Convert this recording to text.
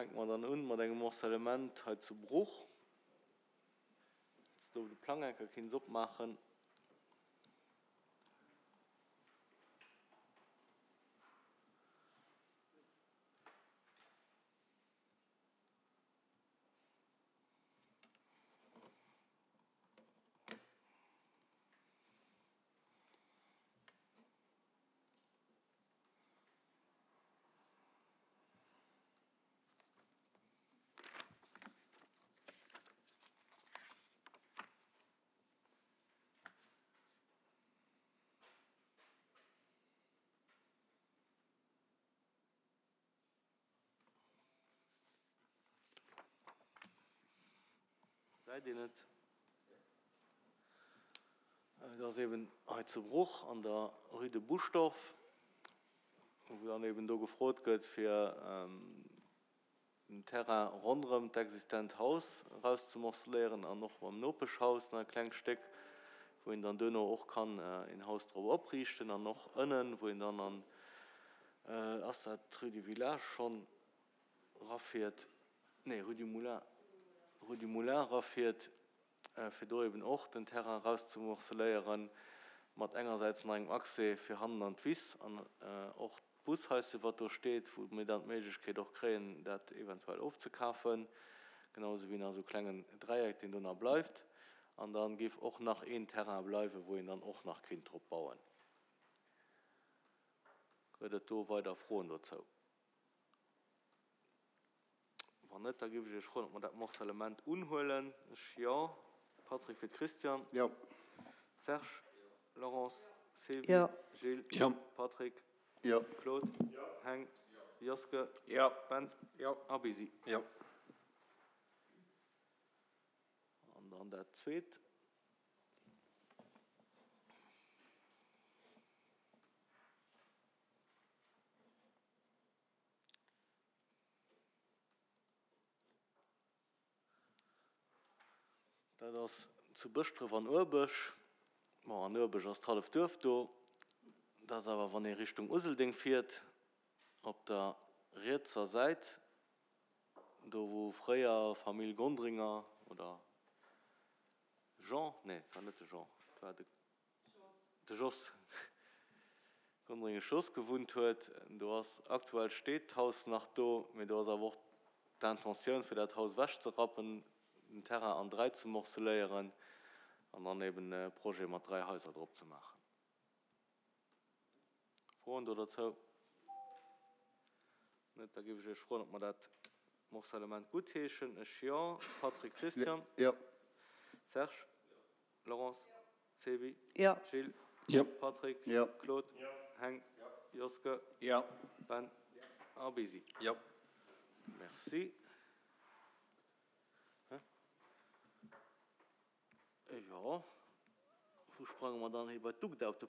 Fänke mer dann un mat engem Morcellement hei zu Bruch. Dass do de Plang enker kinns opmaachen. Gesäit een et? Et ass eben hei zu Bruch an der Rue de Buschdorf, wou dann eben do gefrot gëtt, fir den Terrain ronderëm d'existent Haus erauszemorceléieren an och mam Nopeschhaus nach e klengt Stéck, wou een dann duerno och kann een Haus drop opriichten an och ënnen, wou een dann an, ass dat d'Rue du Village schonn, rafiert, nee, Rue du Moulin, Rue du Moulin rafiert, fir do eben och den Terrain erauszemorceléieren, mat engersäits nach engem Accès fir hannen an d'Wiss an och d'Bushaisse wat do steet, wou mir dann d'Méiglechkeet och kréien, dat eventuell ofzekafen, genau esou wéi nach esou e klengen Dräieck, deen do nach bleift. An da géif och nach een Terrain bleiwen, wou een dann och nach kéint drop bauen. Gëtt et do weider Froen dozou? Wann net, da géif ech Iech froen, ob mer dat Morcellement unhuelen. Ech jo. Patrick fir d'Christiane. Jo. Serge? Jo. Laurence? Sylvie? Jo. Gilles? Jo. Patrick? Jo. Claude? Jo. Heng? Jo. Joske? Jo. Ben? Jo. A Bisi? Jo. An dann dat Zweet. Dat ass zu Bëschdref an Urbech. Bon, an Urbech ass d'halleft Duerf do. Dat ass awer, wann ee Richtung Useldeng fiert, op der rietser Säit, do wou fréier Famill Gondringer oder Jean, nee, et war net de Jean, et war de. De Jos Gondringesch Jos gewunnt huet. Do ass aktuell steet d'Haus nach do, mee do ass awer och d'Intentioun fir dat Haus ewechzerappen, den Terrain an 3 ze morceléieren an dann eben e Projet mat 3 Haiser drop ze maachen. Froen do dozou? Net? Da géif ech Iech froen, ob mer dat Morcellement guttheeschen. Ech jo. Patrick, Christian? Jo. Serge? Laurence, Sevi, Jo. Gilles, Jo. Patrick, Jo. Claude, Heng, Joske, Jo. Ben a Bisi. Jo. Merci. Jo, wou sprange mer dann hei bei d'UGDA op de Punkt?